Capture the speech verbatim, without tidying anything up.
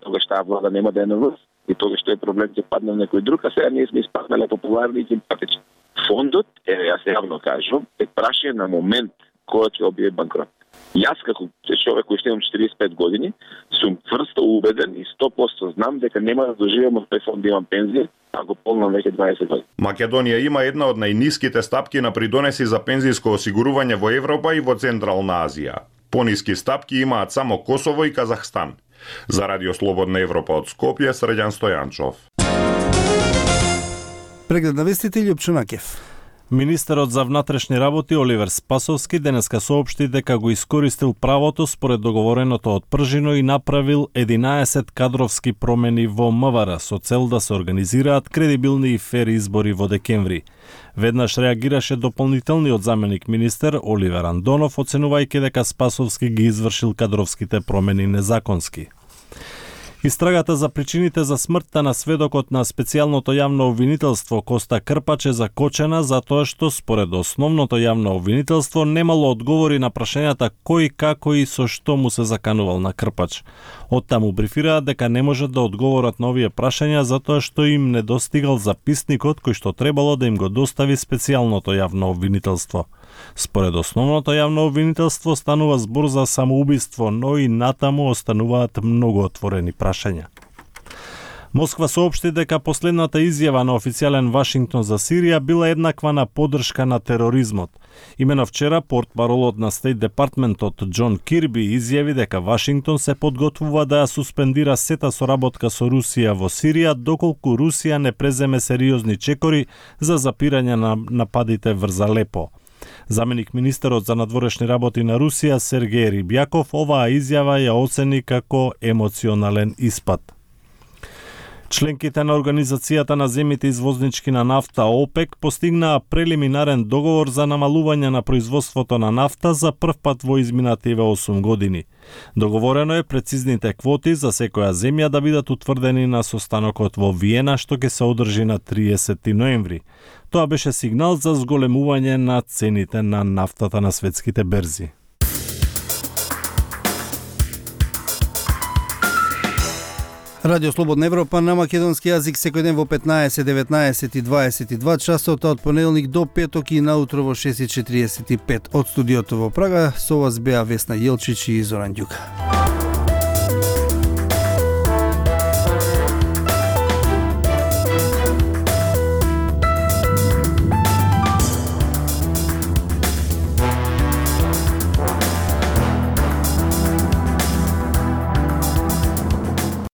тогаш таа влада нема да е на власт и тогаш тој проблем ќе падне на некој друг, а сега ние сме испаднале популарни и симпатични. Фондот, е, јас јавно кажувам, е прашање на момент кој ќе објави банкрот. Јас како човек кој што имам четириесет и пет години, сум тврсто убеден и сто проценти знам дека нема да доживеам од тој фонд да имам пензија, ако полнам веќе дваесет години. Македонија има една од најниските стапки на придонеси за пензијско осигурување во Европа и во Централна Азија. Пониски стапки имаат само Косово и Казахстан. За Радио Слободна Европа од Скопје, Срđan Стојанчов. Преглед на вестите Љупчо Накев. Министерот за внатрешни работи Оливер Спасовски денеска соопшти дека го искористил правото според договореното од Пржино и направил единаесет кадровски промени во МВР со цел да се организираат кредибилни и фер избори во декември. Веднаш реагираше дополнителниот заменик министер Оливер Андонов, оценувајќи дека Спасовски ги извршил кадровските промени незаконски. Истрагата за причините за смртта на сведокот на специјалното јавно обвинителство Коста Крпач е закочена затоа што според основното јавно обвинителство немало одговори на прашањата кој, како и со што му се заканувал на Крпач. Оттаму брифираат дека не можат да одговорат на овие прашања затоа што им недостигал записникот кој што требало да им го достави специјалното јавно обвинителство. Според основното јавно обвинителство станува збор за самоубиство, но и натаму остануваат многу отворени прашања. Москва соопшти дека последната изјава на официјален Вашингтон за Сирија била еднаква на поддршка на тероризмот. Имено вчера портпаролот на Стейт Департментот Џон Кирби изјави дека Вашингтон се подготвува да ја суспендира сета соработка со Русија во Сирија доколку Русија не преземе сериозни чекори за запирање на нападите врз Алепо. Заменик министерот за надворешни работи на Русија Сергеј Рибјаков оваа изјава ја оцени како емоционален испад. Членките на Организацијата на земјите извознички на нафта ОПЕК постигнаа прелиминарен договор за намалување на производството на нафта за прв пат во изминативе осум години. Договорено е прецизните квоти за секоја земја да бидат утврдени на состанокот во Виена што ќе се одржи на триесети ноември. Тоа беше сигнал за зголемување на цените на нафтата на светските берзи. Радио Слободна Европа на македонски јазик секој ден во петнаесет, деветнаесет и дваесет и два часот од понеделник до петок и наутро во шест и четириесет и пет од студиото во Прага. Со вас беа Весна Јелчич и Зоран Ѓука.